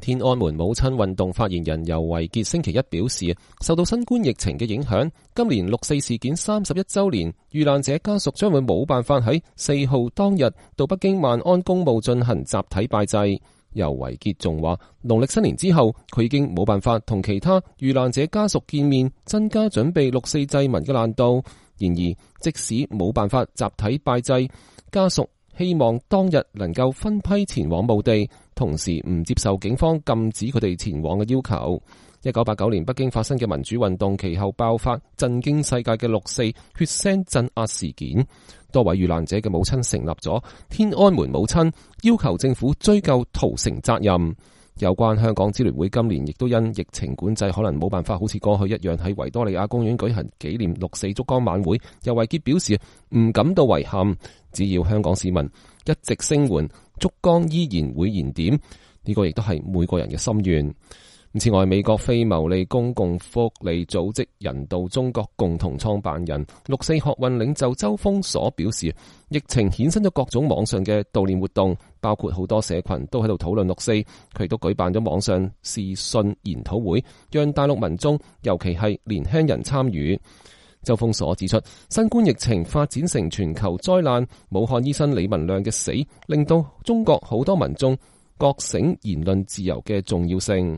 天安門母親運動發言人游維潔星期一表示，受到新冠疫情嘅影響，今年六四事件31週年，遇難者家屬將會冇辦法喺4號當日到北京萬安公墓進行集體拜祭。游維潔仲話，農曆新年之後，佢已經冇辦法同其他遇難者家屬見面，增加準備六四祭文嘅難度。然而，即使冇辦法集體拜祭，家屬希望當日能夠分批前往墓地，同時唔接受警方禁止佢哋前往嘅要求。1989年北京發生嘅民主運動其後爆發震驚世界嘅六四血腥鎮壓事件，多位遇難者嘅母親成立咗天安門母親，要求政府追究屠城責任。有關香港支聯會今年亦都因疫情管制，可能冇辦法好似過去一樣喺維多利亞公園舉行紀念六四燭光晚會。游維潔表示唔感到遺憾，只要香港市民一直聲援，燭光依然會燃點。呢個亦都係每個人嘅心願。此外，美國非牟利公共福利組織人道中國共同創辦人、六四學運領袖周鋒所表示，疫情衍生咗各種網上嘅悼念活動，包括好多社群都喺度討論六四。佢亦都舉辦咗網上視訊研討會，讓大陸民眾，尤其係年輕人參與。周鋒所指出，新冠疫情發展成全球災難，武漢醫生李文亮嘅死，令到中國好多民眾覺醒言論自由嘅重要性。